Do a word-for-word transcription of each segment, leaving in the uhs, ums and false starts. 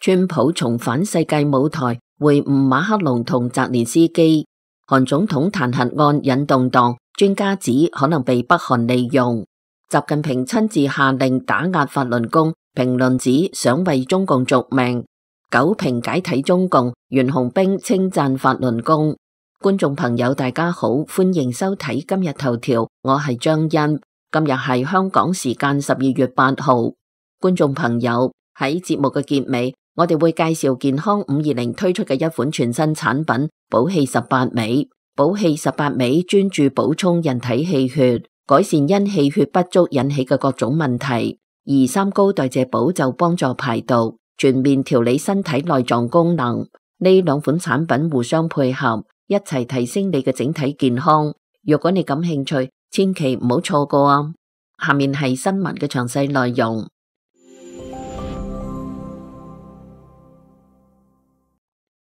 川普重返世界舞台，會晤馬克龍同澤連斯基。韓總統彈劾案引動盪，專家指可能被北韓利用。習近平親自下令打壓法輪功，評論指想為中共續命。九評解體中共，袁洪兵稱讚法輪功。觀眾朋友大家好，歡迎收睇今日頭條，我係張欣。今日係香港時間十二月八號。觀眾朋友，喺節目嘅結尾，我哋會介紹健康五二零推出嘅一款全新產品寶氣十八味。寶氣十八味專注補充人體氣血，改善因氣血不足引起嘅各種問題。而三高代謝寶就幫助排毒，全面調理身體內臟功能。呢兩款產品互相配合，一齊提升你嘅整體健康。如果你感興趣，千祈唔好錯過啊！下面係新聞嘅詳細內容。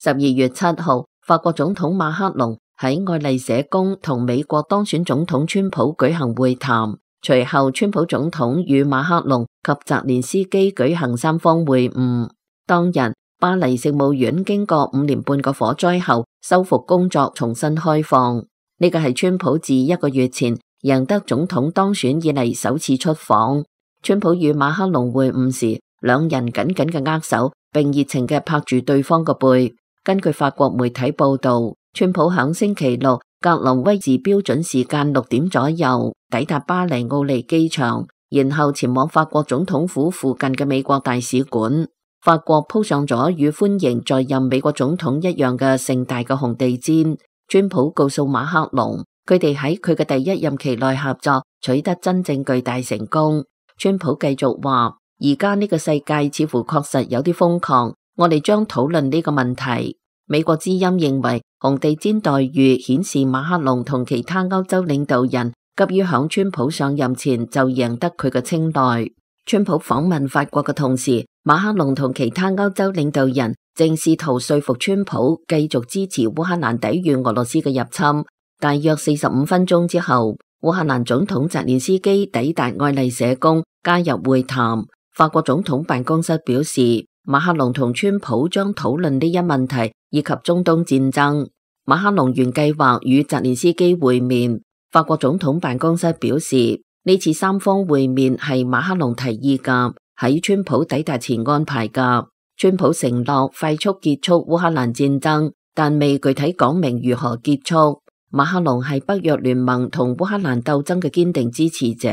十二月七號，法國總統馬克龍喺愛麗舍宮同美國當選總統川普舉行會談，隨後川普總統與馬克龍及澤連斯基舉行三方會晤。當日，巴黎聖母院經過五年半個火災後，修復工作重新開放。呢個係川普自一個月前贏得總統當選以嚟首次出訪。川普與馬克龍會晤時，兩人緊緊嘅握手，並熱情嘅拍住對方個背。根據法國媒體報道，川普響星期六格林威治標準時間六點左右抵達巴黎奧利機場，然後前往法國總統府附近嘅美國大使館。法國鋪上咗與歡迎在任美國總統一樣嘅盛大嘅紅地毯。川普告訴馬克龍，佢哋喺佢嘅第一任期內合作取得真正巨大成功。川普繼續話，而家呢個世界似乎確實有啲瘋狂。我哋將討論呢個問題。美國之音認為紅地毯待遇顯示馬克龍同其他歐洲領導人急於響川普上任前就贏得佢嘅青睞。川普訪問法國嘅同時，馬克龍同其他歐洲領導人正試圖說服川普繼續支持烏克蘭抵禦俄羅斯嘅入侵。大約四十五分鐘之後，烏克蘭總統澤連斯基抵達愛麗舍宮加入會談。法國總統辦公室表示，馬克龍同川普將討論呢一問題以及中東戰爭。馬克龍原計劃與澤連斯基會面。法國總統辦公室表示，呢次三方會面係馬克龍提議㗎，喺川普抵達前安排㗎。川普承諾快速結束烏克蘭戰爭，但未具體講明如何結束。馬克龍係北約聯盟同烏克蘭鬥爭嘅堅定支持者。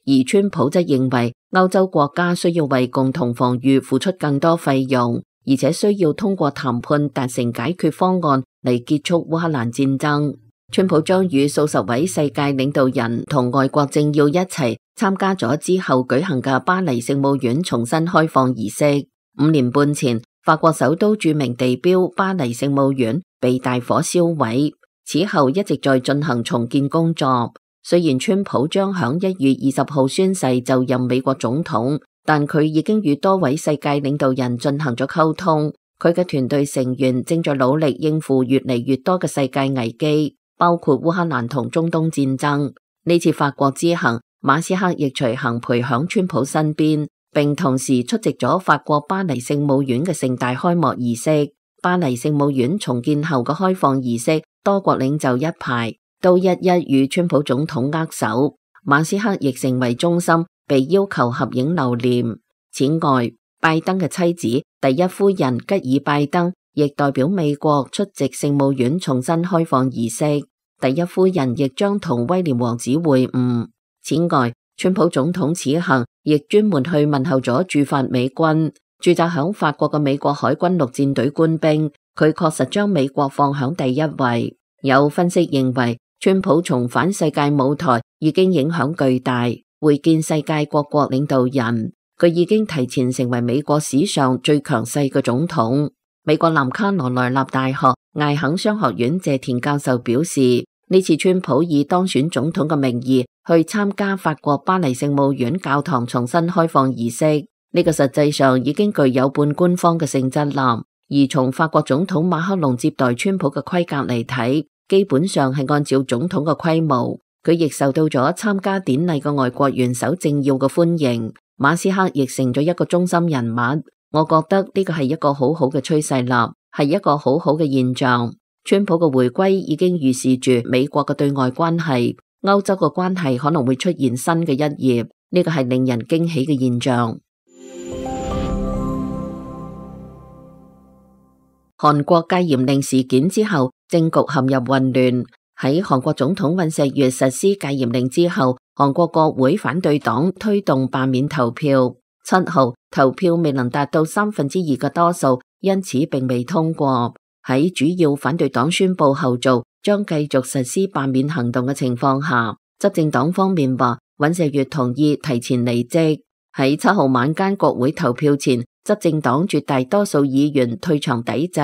而川普則認為歐洲國家需要為共同防禦付出更多費用，而且需要通過談判達成解決方案嚟結束烏克蘭戰爭。川普將與數十位世界領導人同外國政要一齊參加咗之後舉行嘅巴黎聖母院重新開放儀式。五年半前，法國首都著名地標巴黎聖母院被大火燒毀，此後一直在進行重建工作。雖然川普將響一月二十號宣誓就任美國總統，但佢已經與多位世界領導人進行咗溝通。佢嘅團隊成員正在努力應付越嚟越多嘅世界危機，包括烏克蘭同中東戰爭。呢次法國之行，馬斯克亦隨行陪響川普身邊，並同時出席咗法國巴黎聖母院嘅盛大開幕儀式。巴黎聖母院重建後嘅開放儀式，多國領袖一排都一一與川普總統握手，馬斯克亦成為中心，被要求合影留念。此外，拜登嘅妻子第一夫人吉爾拜登亦代表美國出席聖母院重新開放儀式，第一夫人亦將同威廉王子會晤。此外，川普總統此行亦專門去問候咗駐法美軍，駐紮響法國嘅美國海軍陸戰隊官兵，佢確實將美國放響第一位。有分析認為，川普重返世界舞台已經影響巨大，會見世界各國領導人，佢已經提前成為美國史上最強勢嘅總統。美國南卡羅來納大學艾肯商學院謝田教授表示，呢次川普以當選總統嘅名義去參加法國巴黎聖母院教堂重新開放儀式，呢個實際上已經具有半官方嘅性質啦。而從法國總統馬克龍接待川普嘅規格嚟睇，基本上係按照總統嘅規模，佢亦受到咗參加典禮嘅外國元首政要嘅歡迎。馬斯克亦成咗一個中心人物。我覺得呢個係一個好好嘅趨勢啦，係一個好好嘅現象。川普嘅回歸已經預示住美國嘅對外關係、歐洲嘅關係可能會出現新嘅一頁，呢個係令人驚喜嘅現象。韓國戒嚴令事件之後，政局陷入混亂。喺韓國總統尹錫悅實施戒嚴令之後，韓國國會反對黨推動罷免投票。七號投票未能達到三分之二嘅多數，因此並未通過。喺主要反對黨宣布後續將繼續實施罷免行動嘅情況下，執政黨方面話尹錫悅同意提前離職。喺七號晚間國會投票前，執政黨絕大多數議員退場抵制，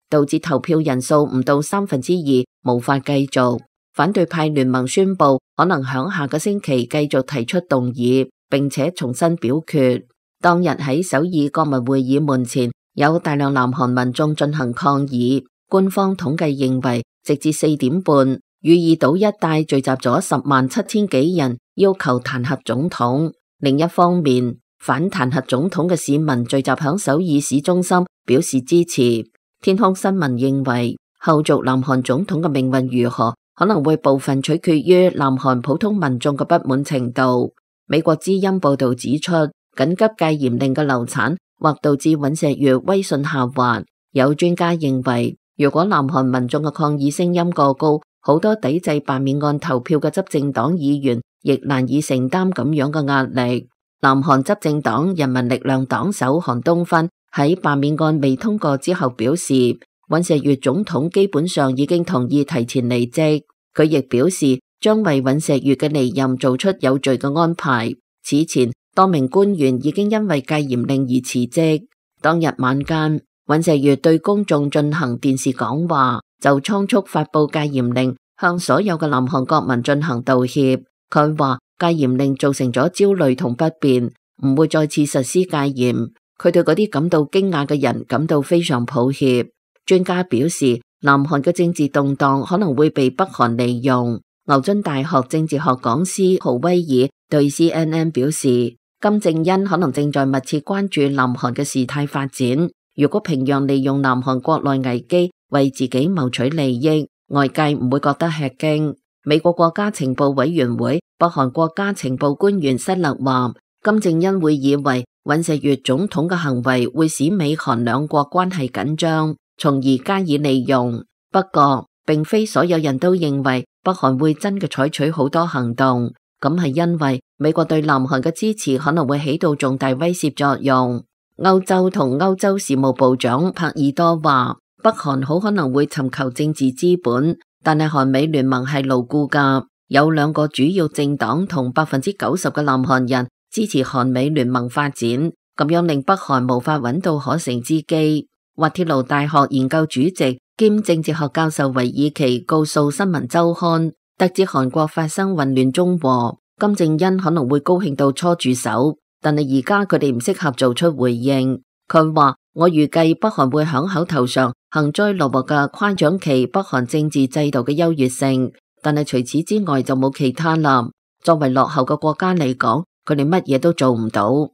導致投票人數唔到三分之二，無法繼續。反對派聯盟宣布可能響下個星期繼續提出動議，並且重新表決。當日喺首爾國民會議門前，有大量南韓民眾進行抗議。官方統計認為，直至四點半，汝矣島一帶聚集咗十萬七千幾人，要求彈劾總統。另一方面，反彈劾總統嘅市民聚集響首爾市中心，表示支持。天空新聞認為，後續南韓總統嘅命運如何，可能會部分取決於南韓普通民眾嘅不滿程度。美國之音報道指出，緊急戒嚴令嘅流產或導致尹錫悅威信下滑。有專家認為，如果南韓民眾嘅抗議聲音過高，好多抵制罷免案投票嘅執政黨議員亦難以承擔咁樣嘅壓力。南韓執政黨人民力量黨首韓東勳喺罷免案未通過之後表示，尹錫悅總統基本上已經同意提前離職。佢亦表示將為尹錫悅嘅離任做出有序嘅安排。此前，多名官員已經因為戒嚴令而辭職。當日晚間，尹錫悅對公眾進行電視講話，就倉促發佈戒嚴令，向所有嘅南韓國民進行道歉。佢話戒嚴令造成咗焦慮同不便，唔會再次實施戒嚴。佢對嗰啲感到驚訝嘅人感到非常抱歉。專家表示，南韓嘅政治動盪可能會被北韓利用。牛津大學政治學講師豪威爾對 C N N 表示，金正恩可能正在密切關注南韓嘅事態發展。如果平壤利用南韓國內危機為自己謀取利益，外界唔會覺得吃驚。美國國家情報委員會北韓國家情報官員失勒話，金正恩會以為尹錫悅總統嘅行為會使美韓兩國關係緊張，從而加以利用。不過，並非所有人都認為北韓會真嘅採取好多行動，咁係因為美國對南韓嘅支持可能會起到重大威懾作用。歐洲同歐洲事務部長帕爾多話，北韓好可能會尋求政治資本，但係韓美聯盟係牢固㗎，有兩個主要政黨同百分之九十嘅南韓人支持韓美聯盟發展，咁樣令北韓無法揾到可乘之機。滑鐵盧大學研究主席兼政治學教授維爾奇告訴新聞週刊，得知韓國發生混亂中和，金正恩可能會高興到搓住手。但係而家佢哋唔適合做出回應。佢話，我預計北韓會響口頭上幸災樂禍嘅誇獎其北韓政治制度嘅優越性，但係除此之外就冇其他啦。作為落後嘅國家嚟講，佢哋乜嘢都做唔到。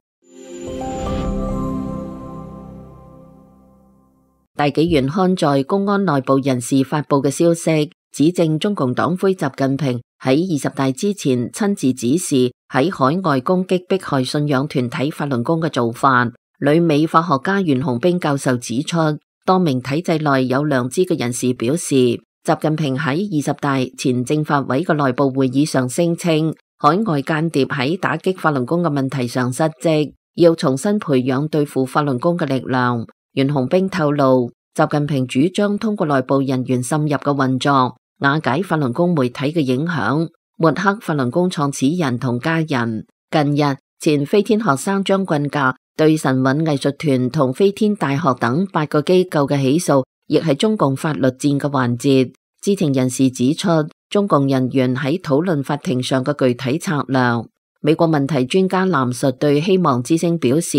大紀元刊載公安內部人士發佈嘅消息，指證中共黨魁習近平喺二十大之前親自指示喺海外攻擊迫害信仰團體法輪功嘅做法。旅美法學家袁洪兵教授指出，多名體制內有良知嘅人士表示，習近平喺二十大前政法委嘅內部會議上聲稱，海外間諜喺打擊法輪功嘅問題上失職，要重新培養對付法輪功嘅力量。袁洪兵透露，習近平主張通過內部人員滲入嘅運作，瓦解法輪功媒體嘅影響，抹黑法輪功創始人同家人。近日，前飛天學生張棍架對神韻藝術團同飛天大學等八個機構嘅起訴，亦係中共法律戰嘅環節。知情人士指出，中共人員喺討論法庭上嘅具體策略。美國問題專家藍述對希望之聲表示，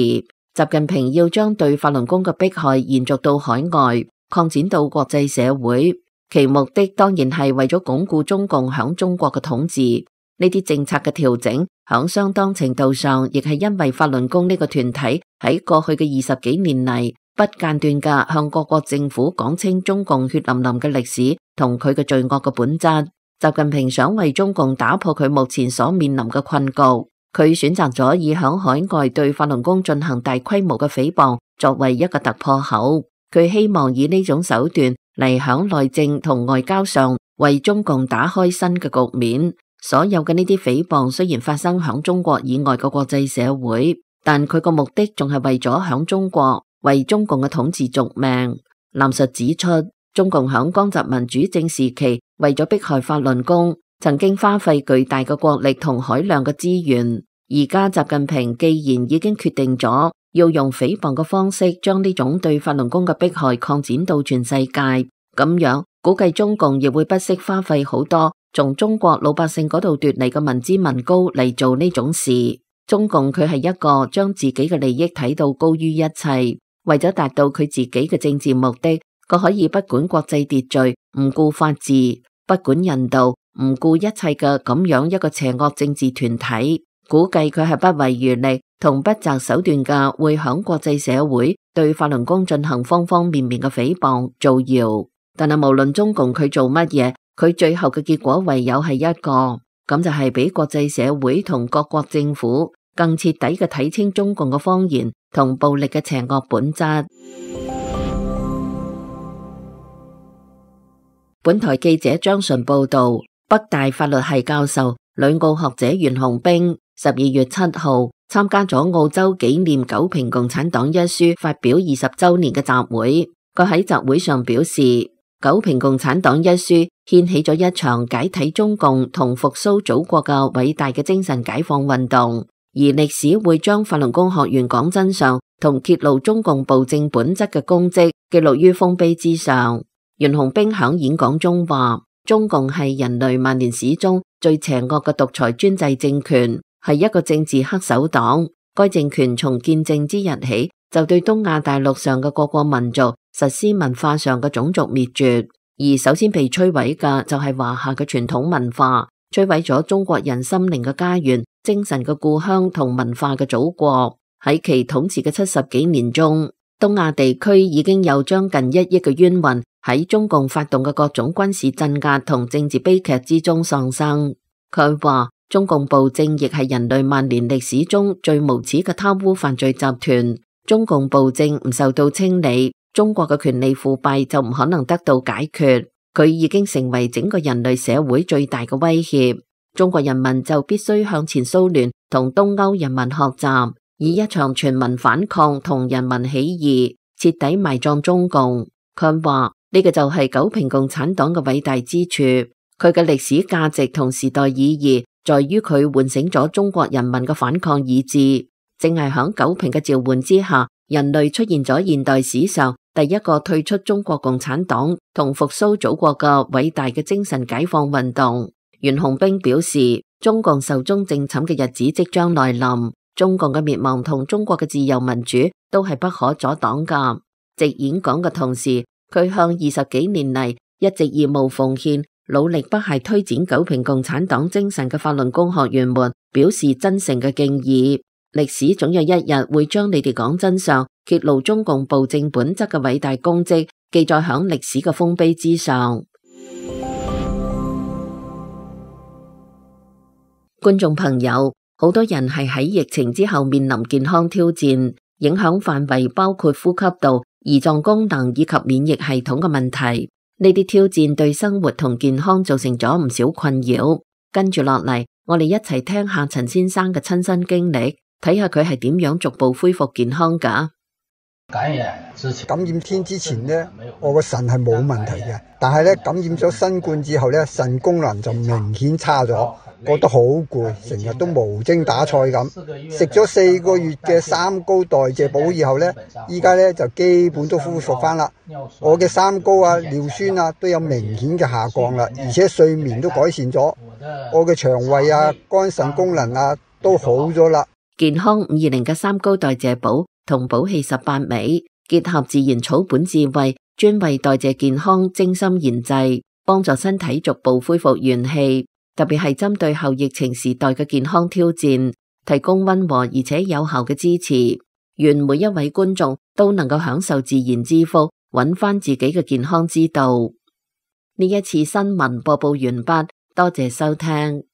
習近平要將對法輪功嘅迫害延續到海外，擴展到國際社會，其目的當然係為咗鞏固中共響中國嘅統治。呢啲政策嘅調整，響相當程度上，亦係因為法輪功呢個團體喺過去嘅二十幾年嚟，不間斷嘅向各國政府講清中共血淋淋嘅歷史同佢嘅罪惡嘅本質。習近平想為中共打破佢目前所面臨嘅困局，佢選擇咗以響海外對法輪功進行大規模嘅誹謗作為一個突破口。佢希望以呢種手段嚟響內政同外交上為中共打開新嘅局面。所有嘅呢啲誹謗雖然發生響中國以外嘅國際社會，但佢個目的仲係為咗響中國為中共嘅統治續命。藍述指出，中共響江澤民主政時期為咗迫害法輪功，曾經花費巨大嘅國力同海量嘅資源。而家習近平既然已經決定咗要用誹謗嘅方式將呢種對法輪功嘅迫害擴展到全世界，咁樣估計中共亦會不惜花費好多從中國老百姓嗰度奪嚟嘅民脂民膏嚟做呢種事。中共佢係一個將自己嘅利益睇到高於一切，為咗達到佢自己嘅政治目的，佢可以不管國際秩序，唔顧法治，不管人道，唔顧一切嘅咁樣一個邪惡政治團體。估計佢係不遺餘力同不擇手段嘅，會響國際社會對法輪功進行方方面面嘅誹謗造謠。但係無論中共佢做乜嘢，佢最後嘅結果唯有係一個，咁就係俾國際社會同各國政府更徹底嘅睇清中共嘅謊言同暴力嘅邪惡本質。本台記者張純報道，北大法律系教授、旅澳學者袁紅冰十二月七號參加咗澳洲紀念九評共產黨一書發表二十周年嘅集會。佢喺集會上表示，九評共產黨一書掀起咗一場解體中共同復甦祖國嘅偉大嘅精神解放運動，而歷史會將法輪功學員講真相同揭露中共暴政本質嘅功績記錄於豐碑之上。袁紅冰響演講中話，中共係人類萬年史中最邪惡嘅獨裁專制政權，係一個政治黑手黨。該政權從建政之日起就對東亞大陸上嘅各個民族實施文化上嘅種族滅絕，而首先被摧毀嘅就係華夏嘅傳統文化，摧毀咗中國人心靈嘅家園、精神嘅故鄉同文化嘅祖國。喺其統治嘅七十幾年中，東亞地區已經有將近一億嘅冤魂喺中共發動嘅各種軍事鎮壓同政治悲劇之中喪生。佢話，中共暴政亦係人類萬年歷史中最無恥嘅貪污犯罪集團。中共暴政唔受到清理，中國嘅權力腐敗就唔可能得到解決。佢已經成為整個人類社會最大嘅威脅。中國人民就必須向前蘇聯同東歐人民學習，以一場全民反抗同人民起義徹底埋葬中共。佢話呢個就係九評共產黨嘅偉大之處，佢嘅歷史價值同時代意義在於佢喚醒咗中國人民嘅反抗意志。正係響九評嘅召喚之下，人類出現咗現代史上第一個退出中國共產黨同復甦祖國嘅偉大嘅精神解放運動。袁紅冰表示，中共壽終正寢嘅日子即將來臨，中共嘅滅亡同中國嘅自由民主都係不可阻擋噶。直演講嘅同時，佢向二十幾年嚟一直義務奉獻、努力不懈推展九評共產黨精神嘅法輪功學員們表示真誠嘅敬意。歷史總有一日會將你哋講真相、揭露中共暴政本質嘅偉大功績記載響歷史嘅豐碑之上。觀眾朋友，好多人係喺疫情之後面臨健康挑戰，影響範圍包括呼吸道、胰臟功能以及免疫系統嘅問題。呢啲挑戰對生活同健康造成咗唔少困擾。跟住落嚟，我哋一齊聽下陳先生嘅親身經歷。睇下佢係點樣逐步恢復健康㗎。感染之前，感染天之前呢，我個腎係冇問題嘅，但係咧感染咗新冠之後咧，腎功能就明顯差咗，覺得好攰，成日都無精打采咁。食咗四個月嘅三高代謝補以後咧，依家咧就基本都恢復翻啦。我嘅三高啊、尿酸啊都有明顯嘅下降啦，而且睡眠都改善咗，我嘅腸胃啊、肝腎功能啊都好咗啦。健康五二零嘅三高代謝補同補氣十八味，結合自然草本智慧，專為代謝健康精心研製，幫助身體逐步恢復元氣。特別係針對後疫情時代嘅健康挑戰，提供溫和而且有效嘅支持。願每一位觀眾都能夠享受自然之福，揾翻自己嘅健康之道。呢一次新聞播報完畢，多謝收聽。